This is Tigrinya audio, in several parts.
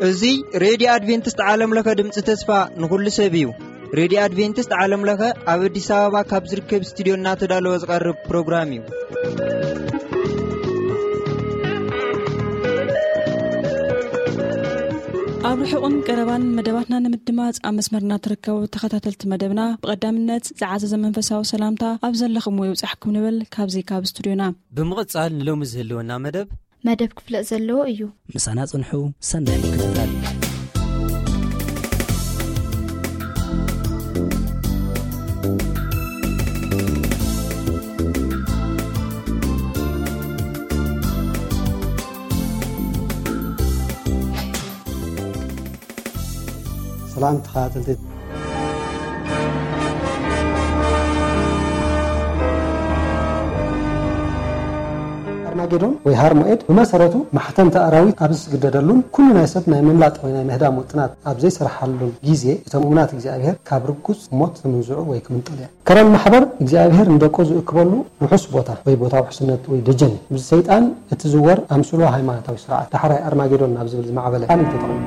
እዚ ሬድዮ ኣድቬንቲስት ዓለም ለኸ ድምፂ ተስፋ ንኹሉ ሰብ እዩ። ሬድዮ ኣድቬንቲስት ዓለም ለኸ ኣብ ኣዲስ ኣበባ ካብ ዝርከብ ስቱዲዮ እናተዳለወ ዝቐርብ ፕሮግራም እዩ። ኣብ ርሑቕን ቀረባን መደባትና ንምድማፅ ኣብ መስመርና ትርከቡ ተኸታተልቲ መደብና፣ ብቐዳምነት ዝዓዘዘ መንፈሳዊ ሰላምታ ኣብ ዘለኹምዎ ይብጻሕኩም ንብል ካብዚ ካብ ስቱዲዮና። ብምቕጻል ንሎሚ ዝህልወና መደብ መደብ ክፍለጥ ዘለዎ እዩ። ምሳና ጽንሑ፣ ሰናይ ምክትታል። ሰላም ተኸታተልቲ። ኣርማጌዶን ወይ ሃርሞኤድ ብመሰረቱ ማሕተምቲ ኣራዊት ኣብ ዝስግደደሉን ኩሉ ናይ ሰብ ናይ ምምላጥ ወይ ናይ ምህዳም ውጥናት ኣብ ዘይሰርሓሉን ግዜ፣ እቶም እሙናት እግዚኣብሔር ካብ ርጉጽ ሞት ክምንዝዑ ወይ ክምንጠሉ እዮም። ከረን ማሕበር እግዚኣብሔር ንደቁ ዝእክበሉ ውሑስ ቦታ ወይ ቦታ ውሕስነት ወይ ደጀን እዩ። ምስ ሰይጣን እትዝወር ኣምስሎ ሃይማኖታዊ ስርዓት ዳሕራይ ኣርማጌዶን ናብ ዝብል ዝማዕበለ ቃል እዩ ተጠቕሙ።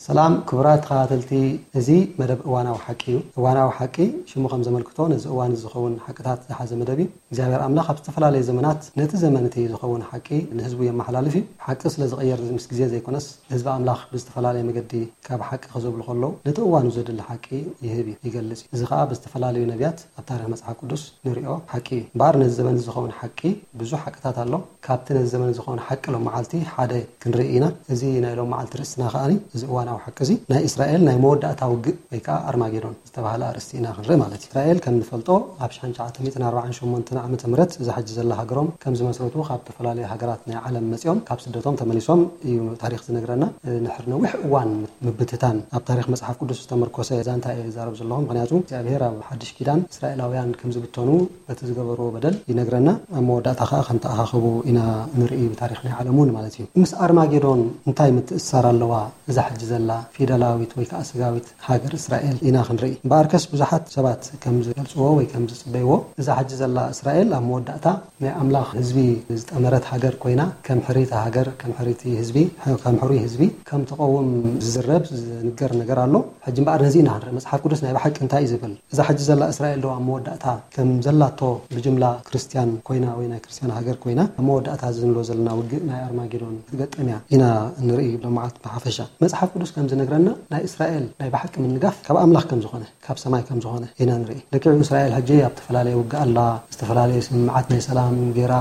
ሰላም ክቡራት ተኸታተልቲ፣ እዚ መደብ እዋናዊ ሓቂ እዩ። እዋናዊ ሓቂ ሽሙ ከም ዘመልክቶ ነዚ እዋን እዚ ዝኸውን ሓቅታት ዝሓዘ መደብ እዩ። እግዚኣብሔር ኣምላኽ ኣብ ዝተፈላለየ ዘመናት ነቲ ዘመን እቲ ዝኸውን ሓቂ ንህዝቡ የመሓላልፍ እዩ። ሓቂ ስለ ዝቕየር ምስ ግዜ ዘይኮነስ ህዝቢ ኣምላኽ ብዝተፈላለየ መገዲ ካብ ሓቂ ክዘብሉ ከለዉ ነቲ እዋኑ ዘድሊ ሓቂ ይህብ እዩ፣ ይገልጽ እዩ። እዚ ኸኣ ብዝተፈላለዩ ነቢያት ኣብ ታሪኽ መጽሓፍ ቅዱስ ንሪኦ ሓቂ እዩ። እምበኣር ነዚ ዘመን እዚ ዝኸውን ሓቂ ብዙሕ ሓቅታት ኣሎ። ካብቲ ነዚ ዘመን እዚ ዝኸውን ሓቂ ሎም መዓልቲ ሓደ ክንርኢ ኢና። እዚ ናይ ሎም መዓልቲ ርእስትና ከኣ እዚ እዋናዊ ሓቂ እዚ ናይ እስራኤል ናይ መወዳእታ ውግእ ወይ ከኣ ኣርማጌዶን ዝተባህለ ኣርእስቲ ኢና ክንርኢ ማለት እዩ። እስራኤል ከም ንፈልጦ ኣብ ሽሕን ትሽዓተ ሚእትን ኣርባዓን ሸሞንተን ዓመተ ምህረት እዛ ሕጂ ዘላ ሃገሮም ከም ዝመስረቱ ካብ ዝተፈላለዩ ሃገራት ናይ ዓለም መጺኦም ካብ ስደቶም ተመሊሶም እዩ ታሪኽ ዝነግረና። ንሕር ነዊሕ እዋን ምብትታን ኣብ ታሪኽ መጽሓፍ ቅዱስ ዝተመርኮሰ ዛንታ እየ ዝዛረብ ዘለኹ። ምኽንያቱ እግዚኣብሔር ኣብ ሓድሽ ኪዳን እስራኤላውያን ከም ዝብተኑ በቲ ዝገበርዎ በደል ይነግረና። ኣብ መወዳእታ ከኣ ከም ተኣኻኸቡ ኢና ንርኢ ብታሪኽ ናይ ዓለም እውን ማለት እዩ። ምስ ኣርማጌዶን እንታይ ምትእስሳር ኣለዋ እዛ ሕጂ ዘላ ፊደላዊት ወይ ከኣ ስጋዊት ሃገር እስራኤል ኢና ክንርኢ። እምበኣርከስ ብዙሓት ሰባት ከም ዝገልጽዎ ወይ ከም ዝጽበይዎ እዛ ሕጂ ዘላ እስራኤል ኣብ መወዳእታ ናይ ኣምላኽ ህዝቢ ዝጠመረት ሃገር ኮይና ከም ሕርይቲ ሃገር፣ ከም ሕርይቲ ህዝቢ፣ ከም ሕሩይ ህዝቢ ከም ትቐውም ዝዝረብ ዝንገር ነገር ኣሎ። ሕጂ እምበኣር ነዚ ኢና ክንርኢ። መጽሓፍ ቅዱስ ናይ ብሓቂ እንታይ እዩ ዝብል? እዛ ሕጂ ዘላ እስራኤል ዶ ኣብ መወዳእታ ከም ዘላቶ ብጅምላ ክርስትያን ኮይና ወይ ናይ ክርስትያን ሃገር ኮይና ኣብ መወዳእታ እዚ ንብሎ ዘለና ውግእ ናይ ኣርማጌዶን ክትገጥም እያ ኢና ንርኢ ሎማዓልቲ ብሓፈሻ። መጽሓፍ ቅዱስ ከም ዝነግረና ናይ እስራኤል ናይ ብሓቂ ምንጋፍ ካብ ኣምላኽ ከም ዝኾነ ካብ ሰማይ ከም ዝኾነ ኢና ንርኢ። ልክዕ እዩ፣ እስራኤል ሕጂ ኣብ ዝተፈላለየ ውግእ ኣላ፣ ዝተፈላለየ ስምምዓት ናይ ሰላም ገይራ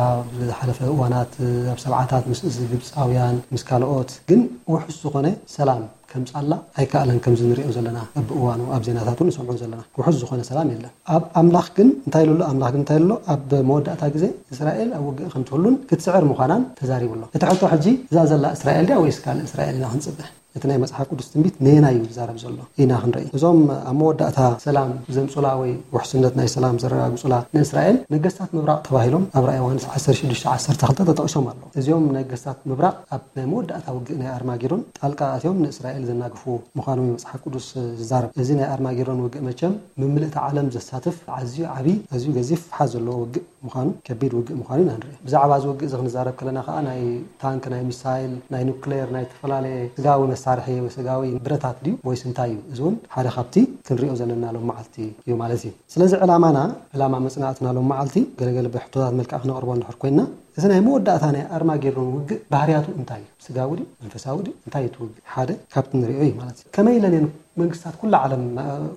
ዝሓለፈ እዋናት ኣብ ሰብዓታት ምስ እዚ ግብፃውያን ምስ ካልኦት ግን ውሑስ ዝኾነ ሰላም ከምፃላ ኣይከኣለን። ከምዚ ንሪኦ ዘለና በብእዋኑ ኣብ ዜናታት እውን ንሰምዖ ዘለና ውሑስ ዝኾነ ሰላም የለን። ኣብ ኣምላኽ ግን እንታይ ኢሉ ኣሎ? ኣምላኽ ግን እንታይ ኢሉ ኣሎ? ኣብ መወዳእታ ግዜ እስራኤል ኣብ ውግእ ከምትህሉን ክትስዕር ምዃናን ተዛሪቡ ኣሎ። እቲ ሕቶ ሕጂ እዛ ዘላ እስራኤል ድያ ወይስ ካልእ እስራኤል ኢና ክንፅበ? እቲ ናይ መጽሓፍ ቅዱስ ትንቢት ነየናይ እዩ ዝዛረብ ዘሎ ኢና ክንርኢ። እዞም ኣብ መወዳእታ ሰላም ዘምጹላ ወይ ውሕስነት ናይ ሰላም ዘረጋግጹላ ንእስራኤል ነገስታት ምብራቕ ተባሂሎም ኣብ ራእይ ዮሃንስ ዓሰርተ ሽዱሽተ ዓሰርተ ክልተ ተጠቒሶም ኣለዉ። እዚኦም ነገስታት ምብራቕ ኣብ ናይ መወዳእታ ውግእ ናይ ኣርማጌዶን ጣልቃ ኣትዮም ንእስራኤል ዘናግፉ ምዃኖም እዩ መጽሓፍ ቅዱስ ዝዛረብ። እዚ ናይ ኣርማጌዶን ውግእ መቸም ምምልእቲ ዓለም ዘሳትፍ ኣዝዩ ዓቢ፣ ኣዝዩ ገዚፍ ፍሓት ዘለዎ ውግእ ምዃኑ፣ ከቢድ ውግእ ምዃኑ ኢና ንርኢ። ብዛዕባ እዚ ውግእ እዚ ክንዛረብ ከለና ከኣ ናይ ታንክ፣ ናይ ሚሳይል፣ ናይ ኑክሌር፣ ናይ ዝተፈላለየ ስጋዊ መሳርሒ ወይ ስጋዊ ብረታት ድዩ ወይስ እንታይ እዩ? እዚ እውን ሓደ ካብቲ ክንሪኦ ዘለና ሎም መዓልቲ እዩ ማለት እዩ። ስለዚ ዕላማና፣ ዕላማ መጽናዕትና ሎም መዓልቲ ገለገለ ብሕቶታት መልክዕ ክነቕርቦ እንድሕር ኮይንና፣ እዚ ናይ መወዳእታ ናይ ኣርማጌዶን ውግእ ባህርያቱ እንታይ እዩ? ስጋዊ ድዩ? መንፈሳዊ ድዩ? እንታይ እዩ እቲ ውግእ? ሓደ ካብቲ ንሪኦ እዩ ማለት እዩ። ከመይ ኢለን እየን መንግስታት ኩላ ዓለም፣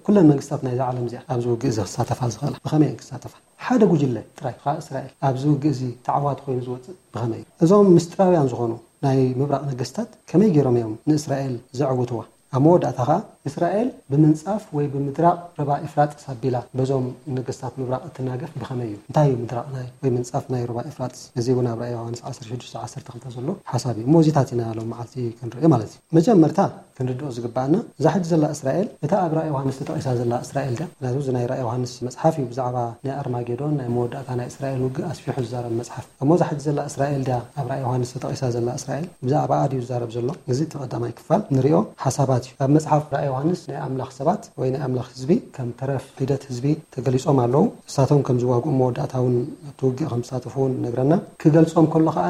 ኩለን መንግስታት ናይዛ ዓለም እዚኣ ኣብዚ ውግእ እዚ ክሳተፋ ዝኽእላ? ብኸመይ እየን ክሳተፋ? ሓደ ጉጅለ ጥራይ፣ ከዓ እስራኤል፣ ኣብዚ ውግእ እዚ ተዓዋቲ ኮይኑ ዝወፅእ ብኸመይ እዩ? እዞም ምስጢራውያን ዝኾኑ ናይ ምብራቕ ነገስታት ከመይ ገይሮም እዮም ንእስራኤል ዘዕውትዋ? ኣብ መወዳእታ ከዓ እስራኤል ብምንጻፍ ወይ ብምድራቕ ሩባ ኤፍራጥስ ኣቢላ በዞም ነገስታት ምብራቕ እትናገፍ ብኸመይ እዩ? እንታይ እዩ ምድራቕ ናይ ወይ ምንጻፍ ናይ ሩባ ኤፍራጥስ? እዚ እውን ኣብ ራእይ ዮሃንስ ዓሰርተ ሽዱሽተ ዓሰርተ ክልተ ዘሎ ሓሳብ እዩ። እሞ እዚታት ኢና ሎም መዓልቲ ክንርኢ ማለት እዩ። መጀመርታ ክንርድኦ ዝግባኣና። እዛ ሕጂ ዘላ እስራኤል፣ እታ ኣብ ራእይ ዮሃንስ ተጠቒሳ ዘላ እስራኤል ድያ? ምክንያቱ እዚ ናይ ራእይ ዮሃንስ መጽሓፍ እዩ ብዛዕባ ናይ ኣርማጌዶን ናይ መወዳእታ ናይ እስራኤል ውግእ ኣስፊሑ ዝዛረብ መጽሓፍ። እሞ እዛ ሕጂ ዘላ እስራኤል ድያ ኣብ ራእይ ዮሃንስ ተጠቒሳ ዘላ እስራኤል? ብዛዕባኣ ድዩ ዝዛረብ ዘሎ? እዚ እቲ ቀዳማይ ክፋል ንሪኦ ሓሳባት እዩ። ኣብ መጽሓፍ ራእይ ዮሃንስ ናይ ኣምላኽ ሰባት ወይ ናይ ኣምላኽ ህዝቢ ከም ተረፍ ሒደት ህዝቢ ተገሊጾም ኣለዉ። እሳቶም ከም ዝዋግኡ መወዳእታ እውን ኣብቲ ውግእ ከም ዝሳተፉ እውን ይነግረና። ክገልጾም ከሎ ከኣ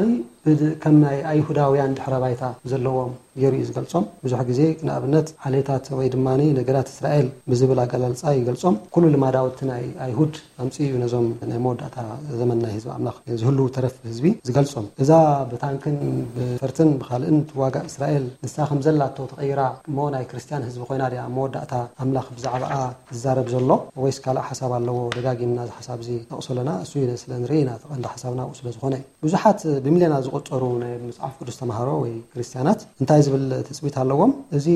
ከም ናይ ኣይሁዳውያን ድሕረ ባይታ ዘለዎም ገይሩ እዩ ዝገልጾም። ብዙሕ ግዜ ንኣብነት ዓሌታት ወይ ድማ ነገዳት እስራኤል ብዝብል ኣገላልጻ ይገልጾም። ኩሉ ልማዳዊ እቲ ናይ ኣይሁድ ኣምጽኡ እዩ ነዞም ናይ መወዳእታ ዘመን ናይ ህዝቢ ኣምላኽ ዝህልዉ ተረፍ ህዝቢ ዝገልጾም። እዛ ብታንክን ብፈርትን ብኻልእን ትዋጋእ እስራኤል ንሳ ከም ዘላቶ ተቐይራ እሞ ናይ ክርስትያን ህዝቢ ኮይና ድያ ኣብ መወዳእታ ኣምላኽ ብዛዕባኣ ዝዛረብ ዘሎ ወይስ ካልእ ሓሳብ ኣለዎ? ደጋጊምና እዚ ሓሳብ እዚ ጠቕሶ ኣለና። እሱ እዩ ስለ ንርኢ ኢና፣ እቲ ቀንዲ ሓሳብና ኣብኡ ስለ ዝኾነ እዩ። ብዙሓት ብሚልዮናት ዝቑጸሩ ናይ መጽሓፍ ቅዱስ ተማሃሮ ወይ ክርስትያናት እንታይ ዝብል ትጽቢት ኣለዎም? እዚ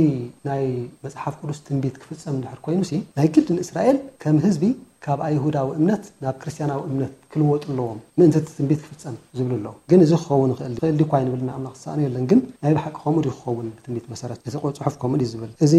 ናይ መጽሓፍ ቅዱስ ትንቢት ክፍጸም እንድሕር ኮይኑሲ ናይ ግድን እስራኤል ከም ህዝቢ ካብ ኣይሁዳዊ እምነት ናብ ክርስትያናዊ እምነት ክልወጡ ኣለዎም ምእንቲ እቲ ትንቢት ክፍጸም ዝብሉ ኣለዉ። ግን እዚ ክኸውን ይኽእል ድዩ? ይኽእል ድዩ እኳ ኣይንብልን፣ ኣምላኽ ዝሰኣኖ የለን። ግን ናይ ብሓቂ ከምኡ ድዩ ክኸውን? ብትንቢት መሰረት እቲ ጽሑፍ ከምኡ ድዩ ዝብል? እዚ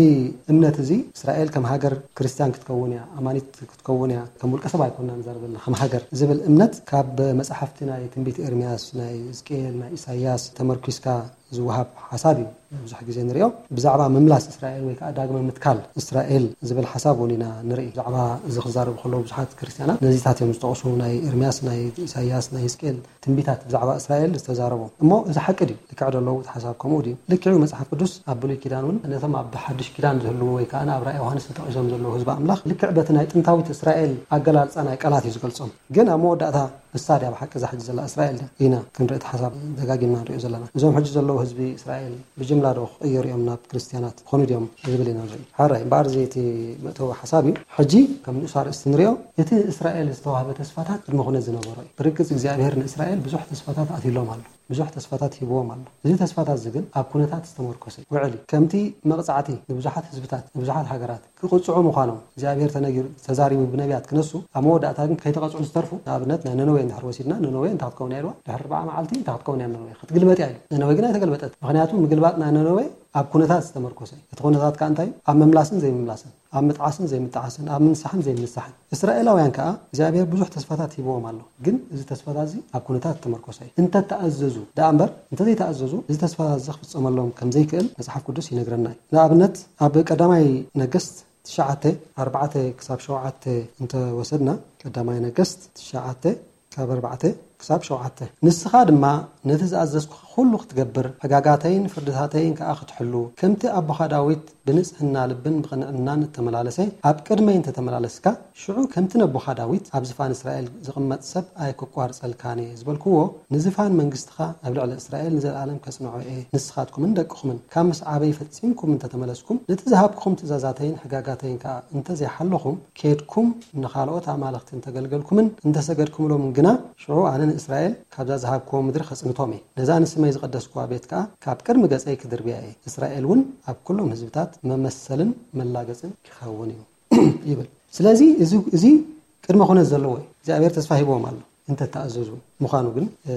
እምነት እዚ እስራኤል ከም ሃገር ክርስትያን ክትከውን እያ፣ ኣማኒት ክትከውን እያ፣ ከም ውልቀ ሰብ ኣይኮንና ንዛረብ ዘለና፣ ከም ሃገር ዝብል እምነት ካብ መጽሓፍቲ ናይ ትንቢት ኤርምያስ፣ ናይ ሕዝቅኤል፣ ናይ ኢሳይያስ ተመርኲስካ ዝወሃብ ሓሳብ እዩ ብዙሕ ግዜ ንሪኦ። ብዛዕባ ምምላስ እስራኤል ወይ ከዓ ዳግመ ምትካል እስራኤል ዝብል ሓሳብ እውን ኢና ንርኢ። ብዛዕባ እዚ ክዛረቡ ከለዉ ብዙሓት ክርስትያናት ነዚታት እዮም ዝጠቕሱ። ናይ ኤርምያስ፣ ናይ ኢሳይያስ፣ ናይ ሕዝቅኤል ትንቢታት ብዛዕባ እስራኤል ዝተዛረቡ። እሞ እዚ ሓቂ ድዩ? ልክዕ ዶ ኣለዉ? እቲ ሓሳብ ከምኡ ድዩ? ልክዕ እዩ። መጽሓፍ ቅዱስ ኣብ ብሉይ ኪዳን እውን ነቶም ኣብ ሓድሽ ኪዳን ዝህልዉ ወይ ከዓ ኣብ ራእይ ዮሃንስ ተጠቒሶም ዘለዉ ህዝቢ ኣምላኽ ልክዕ በቲ ናይ ጥንታዊት እስራኤል ኣገላልጻ ናይ ቃላት እዩ ዝገልጾም። ግን ኣብ መወዳእታ ንሳ ድያ ብሓቂ እዛ ሕጂ ዘላ እስራኤል ድያ? ኢና ክንርኢ እቲ ሓሳብ ደጋጊምና ንሪኦ ዘለና። እዞም ሕጂ ዘለዉ ህዝቢ እስራኤል ብጅምላ ዶ ክቕየሩ እዮም ናብ ክርስትያናት ክኾኑ ድዮም ዝብል ኢና ንርኢ። ሕራይ እምበኣር እዚ እቲ መእተዊ ሓሳብ እዩ። ሕጂ ከም ንኡስ ኣርእስቲ ንሪኦ፣ እቲ እስራኤል ዝተዋህበ ተስፋታት ቅድመ ኩነት ዝነበሮ እዩ። ብርግጽ እግዚኣብሔር ንእስራኤል ብዙሕ ተስፋታት ኣትይሎም ኣሎ። ብዙሕ ተስፋታት ሂብዎም ኣሎ። እዚ ተስፋታት እዚ ግን ኣብ ኩነታት ዝተመርኮሰ እዩ። ውዕሊ ከምቲ መቕጻዕቲ ንብዙሓት ህዝብታት፣ ንብዙሓት ሃገራት ክቕጽዑ ምዃኖም እግዚኣብሔር ተነጊሩ፣ ተዛሪቡ ብነቢያት ክነሱ፣ ኣብ መወዳእታ ግን ከይተቐጽዑ ዝተርፉ፣ ንኣብነት ናይ ነነዌ እንድሕር ወሲድና፣ ነነዌ እንታይ ክትከውን እያ ኢልዋ? ድሕሪ ኣርብዓ መዓልቲ እንታይ ክትከውን እያ ነነዌ? ክትግልበጥ እያ ኢሉ። ነነዌ ግን ኣይተገልበጠት። ምኽንያቱ ምግልባጥ ናይ ነነዌ ኣብ ኩነታት ዝተመርኮሰ እዩ። እቲ ኩነታት ከኣ እንታይ እዩ? ኣብ ምምላስን ዘይምምላስን፣ ኣብ ምጥዓስን ዘይምጥዓስን፣ ኣብ ምንሳሕን ዘይምንሳሕን። እስራኤላውያን ከኣ እግዚኣብሔር ብዙሕ ተስፋታት ሂብዎም ኣሎ። ግን እዚ ተስፋታት እዚ ኣብ ኩነታት ዝተመርኮሰ እዩ። እንተተኣዘዙ ደኣ እምበር፣ እንተዘይተኣዘዙ እዚ ተስፋታት እዚ ክፍጸመሎም ከም ዘይክእል መጽሓፍ ቅዱስ ይነግረና እዩ። ንኣብነት ኣብ ቀዳማይ ነገስት ትሽዓተ፣ ኣርባዕተ ክሳብ ሸውዓተ እንተወሰድና፣ ቀዳማይ ነገስት ትሽዓተ ካብ ኣርባዕተ ክሳብ ሸውዓተ። ንስኻ ድማ ነቲ ዝኣዘዝኩኻ ኩሉ ክትገብር፣ ሕጋጋተይን ፍርድታተይን ከኣ ክትሕሉ፣ ከምቲ ኣቦኻ ዳዊት ብንጽህና ልብን ብቕንዕናን እተመላለሰ ኣብ ቅድመይ እንተተመላለስካ፣ ሽዑ ከምቲ ነቦኻ ዳዊት ኣብ ዝፋን እስራኤል ዝቕመጥ ሰብ ኣይክቋርጸልካን እየ ዝበልክዎ፣ ንዝፋን መንግስትኻ ኣብ ልዕሊ እስራኤል ንዘለኣለም ከጽንዖ እየ። ንስኻትኩምን ደቅኹምን ካብ ምስዓበይ ፈጺምኩም እንተተመለስኩም፣ ነቲ ዝሃብኩኹም ትእዛዛተይን ሕጋጋተይን ከኣ እንተዘይሓለኹም፣ ኬድኩም ንኻልኦት ኣማልኽቲ እንተገልገልኩምን እንተሰገድኩምሎምን ግና፣ ሽዑ ኣነ ንእስራኤል ካብዛ ዝሃብክዎ ምድሪ ከጽንቶም እየ። ነዛ ንስመይ ዝቐደስክዋ ቤት ከኣ ካብ ቅድሚ ገጸይ ክድርብያ እየ። እስራኤል እውን ኣብ ኩሎም ህዝብታት መመሰልን መላገጽን ክኸውን እዩ ይብል። ስለዚ እዚ፣ እዚ ቅድመ ኩነት ዘለዎ እዩ። እግዚኣብሔር ተስፋ ሂብዎም ኣሎ እንተተኣዘዙ ምዃኑ ግን፣ እ፣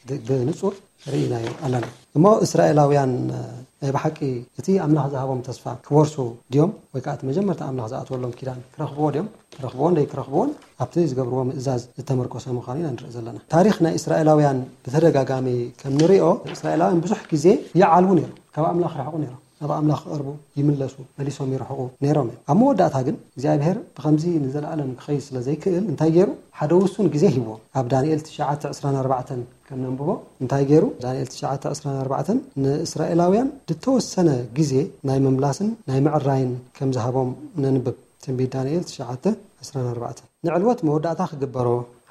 ብ-፣ ብንጹር ርኢናዮ ኣለና። እሞ እስራኤላውያን፣ እ፣ ናይ ብሓቂ እቲ ኣምላኽ ዝሃቦም ተስፋ ክወርሱ ድዮም? ወይ ከኣ እቲ መጀመርታ ኣምላኽ ዝኣትወሎም ኪዳን ክረኽብዎ ድዮም? ክረኽብዎን ዘይክረኽብዎን ኣብቲ ዝገብርዎ ምእዛዝ ዝተመርኮሰ ምዃኑ ኢና ንርኢ ዘለና። ታሪኽ ናይ እስራኤላውያን ብተደጋጋሚ ከም ንሪኦ፣ እስራኤላውያን ብዙሕ ግዜ ይዓልዉ ነይሮም፣ ካብ ኣምላኽ ይርሕቑ ነይሮም፣ ናብ ኣምላኽ ክቐርቡ ይምለሱ፣ መሊሶም ይርሕቑ ነይሮም እዮም። ኣብ መወዳእታ ግን እግዚኣብሔር ብኸምዚ ንዘለኣለም ክኸይድ ስለ ዘይክእል እንታይ ገይሩ? ሓደ ውሱን ግዜ ሂብዎም። ኣብ ዳንኤል ትሽዓተ ዕስራን ኣርባዕተን ከም ነንብቦ እንታይ ገይሩ? ዳንኤል ትሽዓተ ዕስራን ኣርባዕተን ንእስራኤላውያን ዝተወሰነ ግዜ ናይ ምምላስን ናይ ምዕራይን ከም ዝሃቦም ነንብብ። ትንቢት ዳንኤል ትሽዓተ ዕስራን ኣርባዕተን። ንዕልወት መወዳእታ ክግበሮ፣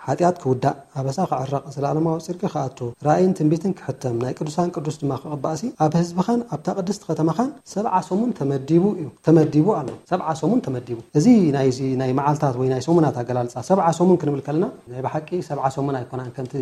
ሓጢኣት ክውዳእ፣ ኣበሳ ክዕረቕ፣ ዘለኣለማዊ ጽድቂ ክኣቱ፣ ራእይን ትንቢትን ክሕተም፣ ናይ ቅዱሳን ቅዱስ ድማ ክቕባእሲ፣ ኣብ ህዝብኻን ኣብታ ቅድስቲ ከተማኻን ሰብዓ ሰሙን ተመዲቡ እዩ፣ ተመዲቡ ኣሎ። ሰብዓ ሰሙን ተመዲቡ። እዚ ናይዚ ናይ መዓልታት ወይ ናይ ሰሙናት ኣገላልጻ፣ ሰብዓ ሰሙን ክንብል ከለና፣ ናይ ብሓቂ ሰብዓ ሰሙን ኣይኮናን፣ ከምቲ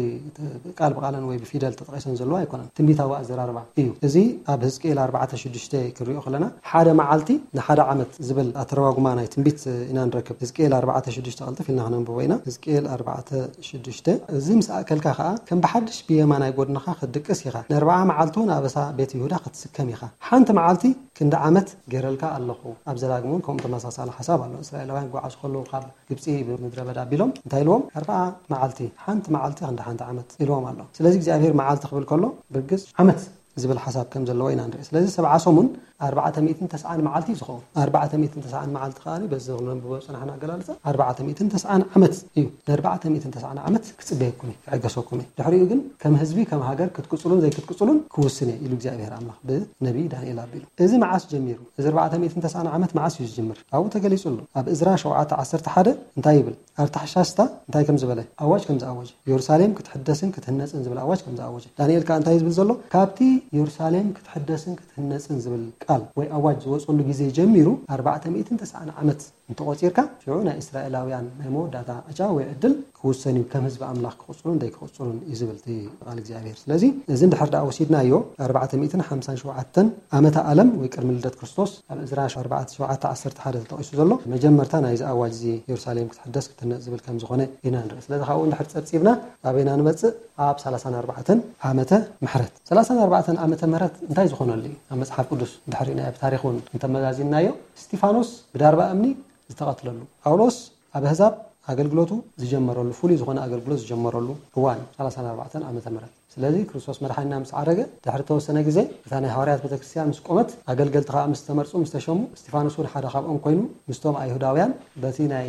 ቃል ብቃለን ወይ ብፊደል ተጠቒሰን ዘለዋ ኣይኮናን። ትንቢታዊ ኣዘራርባ እዩ። እዚ ኣብ ህዝቅኤል ኣርባዕተ ሽዱሽተ ክንሪኦ ከለና፣ ሓደ መዓልቲ ንሓደ ዓመት ዝብል ኣተረጓጉማ ናይ ትንቢት ኢና ንረክብ። ህዝቅኤል ኣርባዕተ ሽዱሽተ ቀልጥፍ ኢልና ክነንብቦ ኢና። ህዝቅኤል ኣርባዕተ ሽዱሽተ፣ እዚ ምስ ኣእከልካ ኸኣ ከም ብሓድሽ ብየማናይ ጎድንኻ ክትድቅስ ኢኻ፣ ነርብዓ መዓልቲ እውን ኣበሳ ቤት ይሁዳ ክትስከም ኢኻ። ሓንቲ መዓልቲ ክንዲ ዓመት ገይረልካ ኣለኹ፣ ኣብ ዘዳግም እውን ከምኡ ተመሳሳሊ ሓሳብ ኣሎ። እስራኤላውያን ክጓዓዙ ከለዉ ካብ ግብፂ ብምድረ በዳ ኣቢሎም እንታይ ኢልዎም? ኣርብዓ መዓልቲ፣ ሓንቲ መዓልቲ ክንዲ ሓንቲ ዓመት ኢልዎም ኣሎ። ስለዚ እግዚኣብሔር መዓልቲ ክብል ከሎ ብርግጽ ዓመት ዝብል ሓሳብ ከም ዘለዎ ኢና ንርኢ። ስለዚ ሰብዓ ሰሙን ኣርባዕተ ሚእትን ተስዓን መዓልቲ እዩ ዝኸውን። ኣርባዕተ ሚእትን ተስዓን መዓልቲ ከኣ በዚ ክነንብቦ ዝጸናሕና ኣገላልጻ ኣርባዕተ ሚእትን ተስዓን ዓመት እዩ። ንኣርባዕተ ሚእትን ተስዓን ዓመት ክጽበየኩም እየ፣ ክዕገሰኩም እየ። ድሕሪኡ ግን ከም ህዝቢ፣ ከም ሃገር ክትቅጽሉን ዘይክትቅጽሉን ክውስን እየ ኢሉ እግዚኣብሔር ኣምላኽ ብነቢይ ዳንኤል ኣቢሉ። እዚ መዓስ ጀሚሩ? እዚ ኣርባዕተ ሚእትን ተስዓን ዓመት መዓስ እዩ ዝጅምር? ኣብኡ ተገሊጹ ኣሎ። ኣብ እዝራ ሸውዓተ ዓሰርተ ሓደ እንታይ ይብል? ኣርታሕሻስታ እንታይ ከም ዝበለ፣ ኣዋጅ ከም ዝኣወጀ፣ ኢየሩሳሌም ክትሕደስን ክትህነጽን ዝብል ኣዋጅ ከም ዝኣወጀ። ዳንኤል ከኣ እንታይ ዝብል ዘሎ? ካብቲ ኢየሩሳሌም ክትሕደስን ክትህነጽን ዝብል ቃል ወይ ኣዋጅ ዝወጸሉ ግዜ ጀሚሩ ኣርባዕተ ሚእትን ተስዓን ዓመት እንተቖጺርካ፣ ሽዑ ናይ እስራኤላውያን ናይ መወዳእታ ዕጫ ወይ ዕድል ክውሰን እዩ፣ ከም ህዝቢ ኣምላኽ ክቕጽሉን ዘይክቕጽሉን እዩ ዝብል እቲ ቃል እግዚኣብሔር። ስለዚ እዚ እንድሕር ደኣ ወሲድናዮ፣ ኣርባዕተ ሚእትን ሓምሳን ሸውዓተን ዓመተ ዓለም ወይ ቅድሚ ልደት ክርስቶስ፣ ኣብ እዝራ ኣርባዕተ ሸውዓተ ዓሰርተ ሓደ ተጠቒሱ ዘሎ መጀመርታ ናይዚ ኣዋጅ እዚ ኢየሩሳሌም ክትሕደስ ክትህነጽ ዝብል ከም ዝኾነ ኢና ንርኢ። ስለዚ ካብኡ እንድሕር ጸብጺብና ኣበይና ንመጽእ? ኣብ ሰላሳን ኣርባዕተን ዓመተ ምሕረት። ሰላሳን ኣርባዕተን ዓመተ ምሕረት እንታይ ዝኾነሉ እዩ? ኣብ መጽሓፍ ቅዱስ እንድሕር ርኢናዮ፣ ብታሪኽ እውን እንተመዛዚንናዮ፣ እስጢፋኖስ ብዳርባ እምኒ ዝተቐትለሉ፣ ጳውሎስ ኣብ ኣህዛብ ኣገልግሎቱ ዝጀመረሉ፣ ፍሉይ ዝኾነ ኣገልግሎት ዝጀመረሉ እዋን እዩ፣ ሰላሳን ኣርባዕተን ዓመተ ምሕረት። ስለዚ ክርስቶስ መድሓኒና ምስ ዓረገ ድሕሪ ተወሰነ ግዜ፣ እታ ናይ ሃዋርያት ቤተክርስትያን ምስ ቆመት፣ ኣገልገልቲ ከኣ ምስ ተመርጹ፣ ምስ ተሸሙ፣ እስጢፋኖስ እውን ሓደ ካብኦም ኮይኑ፣ ምስቶም ኣይሁዳውያን በቲ ናይ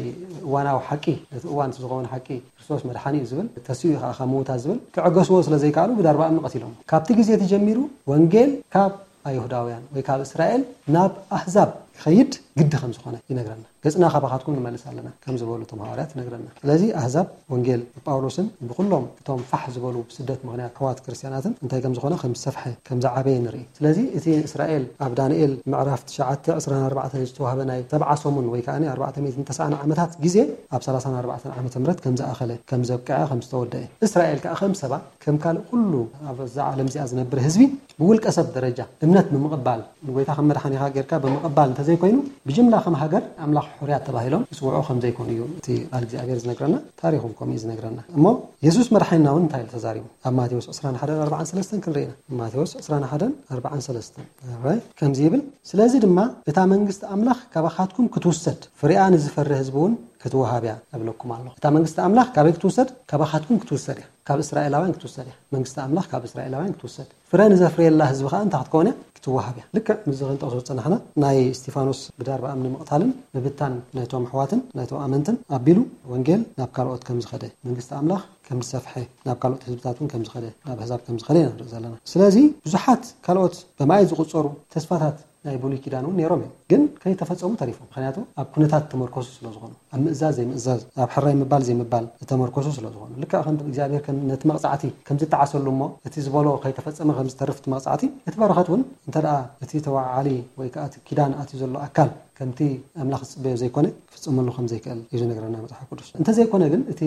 እዋናዊ ሓቂ፣ ነቲ እዋን ዝኸውን ሓቂ፣ ክርስቶስ መድሓኒ እዩ ዝብል፣ ተሲኡ እዩ ከኣ ካብ ምዉታት ዝብል፣ ክዕገስዎ ስለ ዘይከኣሉ ብዳርባ እምኒ ቀቲሎም። ካብቲ ግዜ እቲ ጀሚሩ ወንጌል ካብ ኣይሁዳውያን ወይ ካብ እስራኤል ናብ ኣህዛብ ክኸይድ ግዲ ከም ዝኾነ ይነግረና። "ገጽና ካባኻትኩም ንመልስ ኣለና" ከም ዝበሉ እቶም ሃዋርያት ይነግረና። ስለዚ ኣህዛብ ወንጌል ብጳውሎስን ብኩሎም እቶም ፋሕ ዝበሉ ብስደት ምኽንያት ኣሕዋት ክርስትያናትን እንታይ ከም ዝኾነ ከም ዝሰፍሐ፣ ከም ዝዓበየ ንርኢ። ስለዚ እቲ እስራኤል ኣብ ዳንኤል ምዕራፍ ትሽዓተ ዕስራን ኣርባዕተን ዝተዋህበ ናይ ሰብዓ ሰሙን ወይ ከኣ ኣርባዕተ ሚእትን ተስዓን ዓመታት ግዜ ኣብ ሰላሳን ኣርባዕተን ዓመተ ምህረት ከም ዝኣኸለ፣ ከም ዘብቅዐ፣ ከም ዝተወደአ። እስራኤል ከኣ ከም ሰባ፣ ከም ካልእ ኩሉ ኣብዛ ዓለም እዚኣ ዝነብር ህዝቢ ብውልቀ ሰብ ደረጃ እምነት ብምቕባል፣ ንጎይታ ከም መድሓኒኻ ጌርካ ብምቕባል እንተዘይኮይኑ፣ ብጅምላ ከም ሃገር ኣምላኽ ሕሩያት ተባሂሎም ይጽውዑ ከም ዘይኮኑ እዩ እቲ ቃል እግዚኣብሔር ዝነግረና፣ ታሪኽ እውን ከምኡ እዩ ዝነግረና። እሞ የሱስ መድሓኒና እውን እንታይ ኢሉ ተዛሪቡ? ኣብ ማቴዎስ ዕስራን ሓደን ኣርባዓን ሰለስተን ክንርኢ ኢና። ማቴዎስ ዕስራን ሓደን ኣርባዓን ሰለስተን። ኦራይት፣ ከምዚ ይብል፣ "ስለዚ ድማ እታ መንግስቲ ኣምላኽ ካባኻትኩም ክትውሰድ፣ ፍሬኣ ንዝፈሪ ህዝቢ እውን ክትወሃብ እያ እብለኩም ኣለኹ።" እታ መንግስቲ ኣምላኽ ካበይ ክትውሰድ? ካባኻትኩም ክትውሰድ እያ። ካብ እስራኤላውያን ክትውሰድ እያ። መንግስቲ ኣምላኽ ካብ እስራኤላውያን ክትውሰድ። ፍረ ንዘፍርየላ ህዝቢ ከኣ እንታይ ክትከውን እያ? ክትወሃብ እያ። ልክዕ ምስዚ ክንጠቕሶ ዝጸናሕና ናይ እስጢፋኖስ ብዳርባ እምኒ ምቕታልን ምብታን ናይቶም ኣሕዋትን ናይቶም ኣመንትን ኣቢሉ ወንጌል ናብ ካልኦት ከም ዝኸደ፣ መንግስቲ ኣምላኽ ከም ዝሰፍሐ፣ ናብ ካልኦት ህዝብታት እውን ከም ዝኸደ፣ ናብ ኣህዛብ ከም ዝኸደ ኢና ንርኢ ዘለና። ስለዚ ብዙሓት ካልኦት ብማይ ዝቑጸሩ ተስፋታት ናይ ብሉይ ኪዳን እውን ነይሮም እዮም፣ ግን ከይተፈጸሙ ተሪፎም። ምኽንያቱ ኣብ ኩነታት ተመርኮሱ ስለ ዝኾኑ፣ ኣብ ምእዛዝ ዘይምእዛዝ፣ ኣብ ሕራይ ምባል ዘይምባል ዝተመርኮሱ ስለ ዝኾኑ፣ ልክዕ ከም እግዚኣብሔር ከም ነቲ መቕጻዕቲ ከም ዝጠዓሰሉ እሞ እቲ ዝበሎ ከይተፈጸመ ከም ዝተርፍ እቲ መቕጻዕቲ፣ እቲ በረኸት እውን እንተ ደኣ እቲ ተወዓዓሊ ወይ ከኣ እቲ ኪዳን ኣትዩ ዘሎ ኣካል ከምቲ ኣምላኽ ዝጽበዮ ዘይኮነ ክፍጸመሉ ከም ዘይክእል እዩ ዝነግረና መጽሓፍ ቅዱስ። እንተዘይኮነ ግን እቲ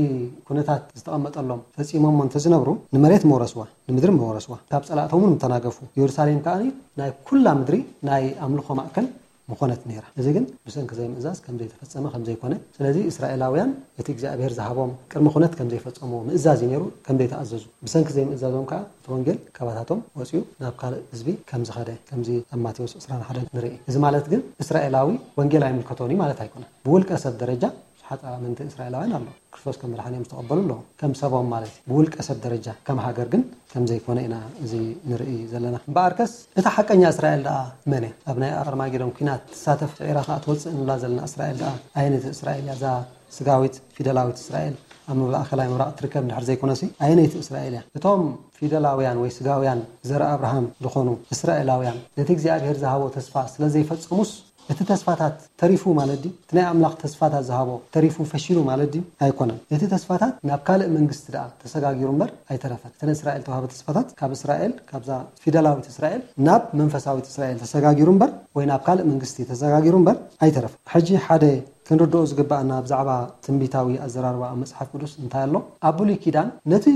ኩነታት ዝተቐመጠሎም ፈጺሞሞ እንተዝነብሩ ንመሬት መውረስዋ፣ ንምድሪ መወረስዋ፣ ካብ ጸላእቶም እውን ምተናገፉ። ኢየሩሳሌም ከኣ ናይ ኩላ ምድሪ ናይ ኣምልኾ ማእከል ምኾነት ነይራ። እዚ ግን ብሰንኪ ዘይምእዛዝ ከም ዘይተፈጸመ ከም ዘይኮነ፣ ስለዚ እስራኤላውያን እቲ እግዚኣብሔር ዝሃቦም ቅድመ ኩነት ከም ዘይፈጸምዎ፣ ምእዛዝ እዩ ነይሩ፣ ከም ዘይተኣዘዙ፣ ብሰንኪ ዘይምእዛዞም ከኣ እቲ ወንጌል ካባታቶም ወጺኡ ናብ ካልእ ህዝቢ ከም ዝኸደ፣ ከምዚ ኣብ ማቴዎስ ዕስራን ሓደን ንርኢ። እዚ ማለት ግን እስራኤላዊ ወንጌል ኣይምልከቶን እዩ ማለት ኣይኮነን። ብውልቀ ሰብ ደረጃ ብዙሓት ኣመንቲ እስራኤላውያን ኣለዉ። ክርስቶስ ከም መድሓኒኦም ዝተቐበሉ ኣለዉ። ከም ሰቦም ማለት እዩ። ብውልቀ ሰብ ደረጃ፣ ከም ሃገር ግን ከም ዘይኮነ ኢና እዚ ንርኢ ዘለና። እምበኣርከስ፣ እታ ሓቀኛ እስራኤል ደኣ መን እያ? ኣብ ናይ ኣርማጌዶን ኲናት ትሳተፍ፣ ስዒራ ከኣ ትወጽእ እንብላ ዘለና እስራኤል ደኣ ኣየነይቲ እስራኤል እያ? እዛ ስጋዊት፣ ፊደላዊት እስራኤል ኣብ ማእከላይ ምብራቕ ትርከብ እንድሕር ዘይኮነሲ፣ ኣየነይቲ እስራኤል እያ? እቶም ፊደላውያን ወይ ስጋውያን ዘርእ ኣብርሃም ዝኾኑ እስራኤላውያን ነቲ እግዚኣብሔር ዝሃቦ ተስፋ ስለ ዘይፈጸሙስ፣ እቲ ተስፋታት ተሪፉ ማለት ድዩ? እቲ ናይ ኣምላኽ ተስፋታት ዝሃቦ ተሪፉ፣ ፈሺሉ ማለት ድዩ? ኣይኮነን። እቲ ተስፋታት ናብ ካልእ መንግስቲ ደኣ ተሰጋጊሩ እምበር ኣይተረፈን። እተን እስራኤል ተዋህበ ተስፋታት ካብ እስራኤል፣ ካብዛ ፊደላዊት እስራኤል ናብ መንፈሳዊት እስራኤል ተሰጋጊሩ እምበር፣ ወይ ናብ ካልእ መንግስቲ ተሰጋጊሩ እምበር ኣይተረፈን። ሕጂ ሓደ ክንርድኦ ዝግባኣና ብዛዕባ ትንቢታዊ ኣዘራርባ ኣብ መጽሓፍ ቅዱስ እንታይ ኣሎ? ኣብ ብሉይ ኪዳን ነቲ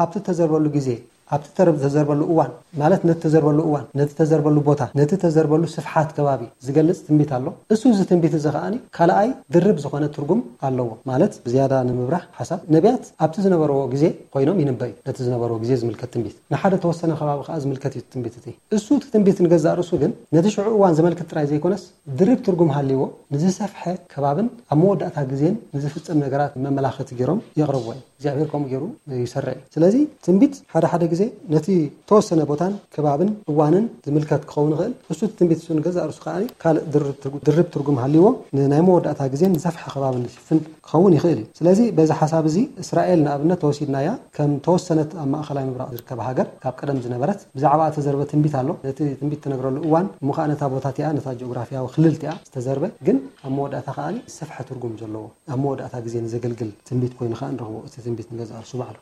ኣብቲ እተዘርበሉ ግዜ ኣብቲ ተረብ-፣ ተዘርበሉ እዋን፣ ማለት ነቲ ተዘርበሉ እዋን፣ ነቲ ተዘርበሉ ቦታ፣ ነቲ ተዘርበሉ ስፍሓት ከባቢ ዝገልጽ ትንቢት ኣሎ። እሱ እዚ ትንቢት እዚ ከኣ ካልኣይ ድርብ ዝኾነ ትርጉም ኣለዎ። ማለት ብዝያዳ ንምብራህ ሓሳብ፣ ነቢያት ኣብቲ ዝነበርዎ ግዜ ኮይኖም ይንበዩ። ነቲ ዝነበርዎ ግዜ ዝምልከት ትንቢት፣ ንሓደ ተወሰነ ከባቢ ከኣ ዝምልከት እዩ ትንቢት እቲ። እሱ እቲ ትንቢት ንገዛእ ርእሱ ግን ነቲ ሽዑ እዋን ዘመልክት ጥራይ ዘይኮነስ፣ ድርብ ትርጉም ሃልይዎ፣ ንዝሰፍሐ ከባብን ኣብ መወዳእታ ግዜን ንዝፍጸም ነገራት መመላኸቲ ገይሮም የቕርብዎ እዮም። እግዚኣብሔር ከምኡ ገይሩ ይሰርዕ እዩ። ስለዚ ትንቢት ሓደ ሓደ ግዜ ነቲ ተወሰነ ቦታን ከባብን እዋንን ዝምልከት ክኸውን ይኽእል። እሱ እቲ ትንቢት እሱ ንገዛእ ርእሱ ከኣ ካልእ ድርብ ትርጉ-፣ ድርብ ትርጉም ሃልይዎ፣ ንናይ መወዳእታ ግዜን ንሰፍሐ ከባብን ዝሽፍን ክኸውን ይኽእል እዩ። ስለዚ በዚ ሓሳብ እዚ እስራኤል ንኣብነት ተወሲድናያ ከም ተወሰነት ኣብ ማእኸላይ ምብራቕ ዝርከብ ሃገር ካብ ቀደም ዝነበረት ብዛዕባ እተዘርበ ትንቢት ኣሎ። ነቲ ትንቢት ትነግረሉ እዋን እሞ ከኣ ነታ ቦታ እቲኣ፣ ነታ ጂኦግራፊያዊ ክልል እቲኣ ዝተዘርበ ግን ኣብ መወዳእታ ከኣ ሰፍሐ ትርጉም ዘለዎ ኣብ መወዳእታ ግዜ ንዘገልግል ትንቢት ኮይኑ ከኣ ንረኽቦ። እቲ ትንቢት ንገዛእ ርእሱ ባዕሉ።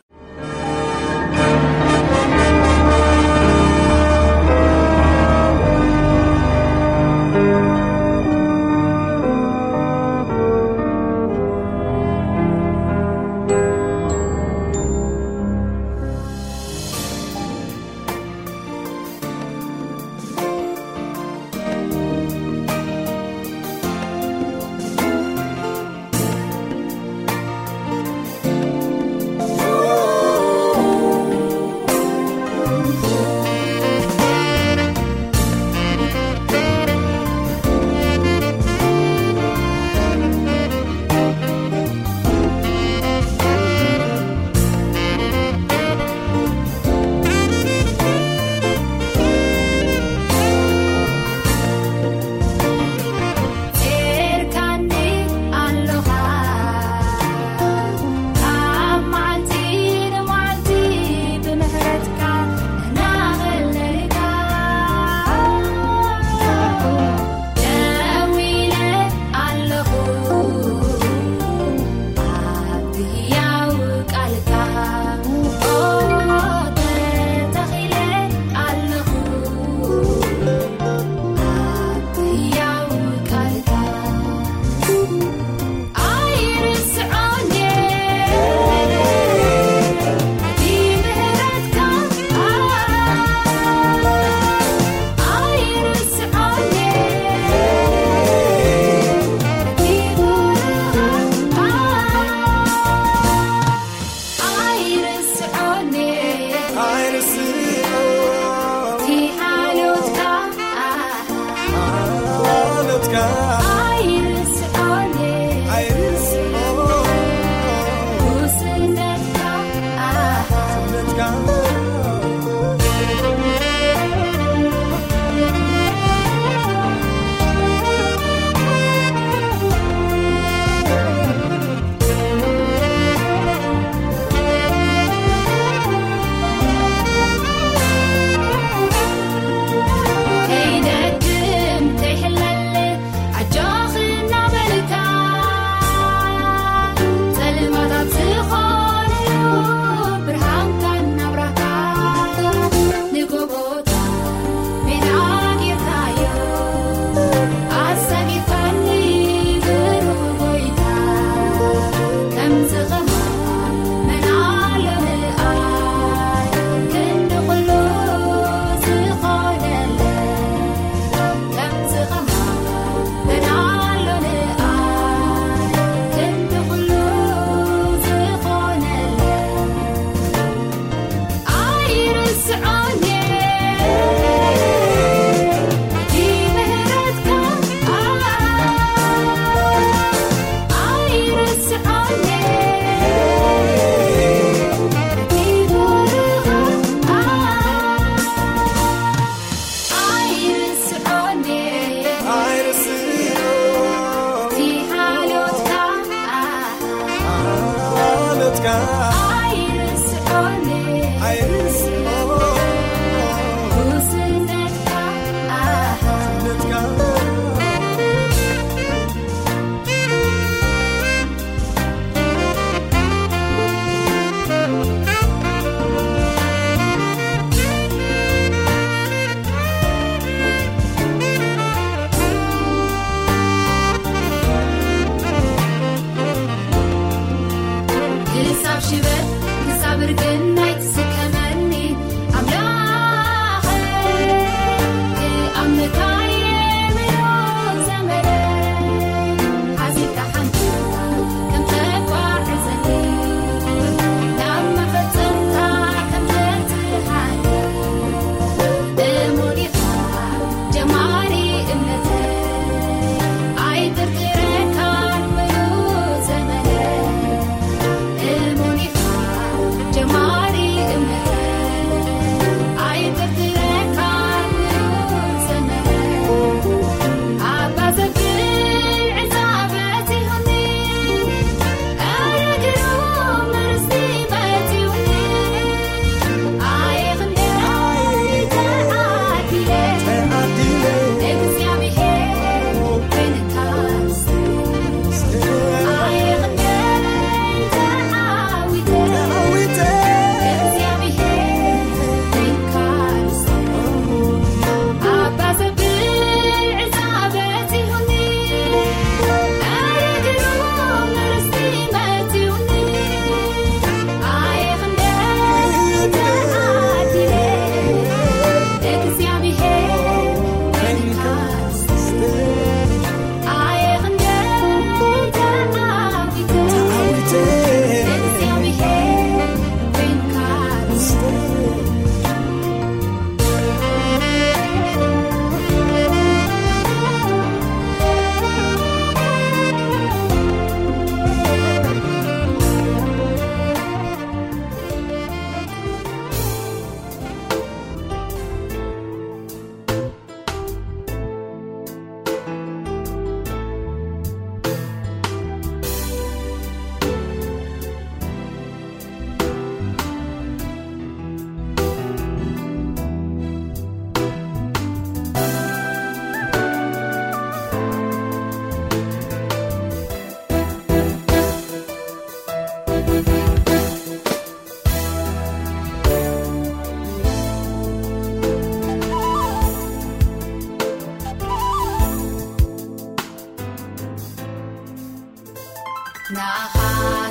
ክሳብ ሽበት ክሳብ ርግናይ ትስከመኒ ንኣኻ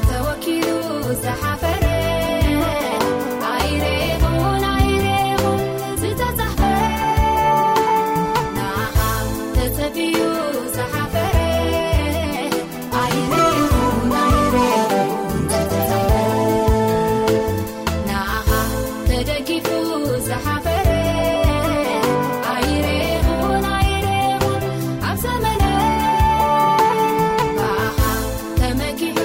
ተወኪሉ ዝሓፈረ ኣይሬኹን ኣይሬኹን ዝተጻሕፈ ንኣኻ ተጸብዩ ዝሓፈረ ኣይሬኹን ኣይሬኹን ዝተጻሕፈ ንኣኻ ተደጊፉ ዝሓፈረ ኣይሬኹን ኣይሬኹን ኣብ ዘመነ ብኣኻ ተመኪሑ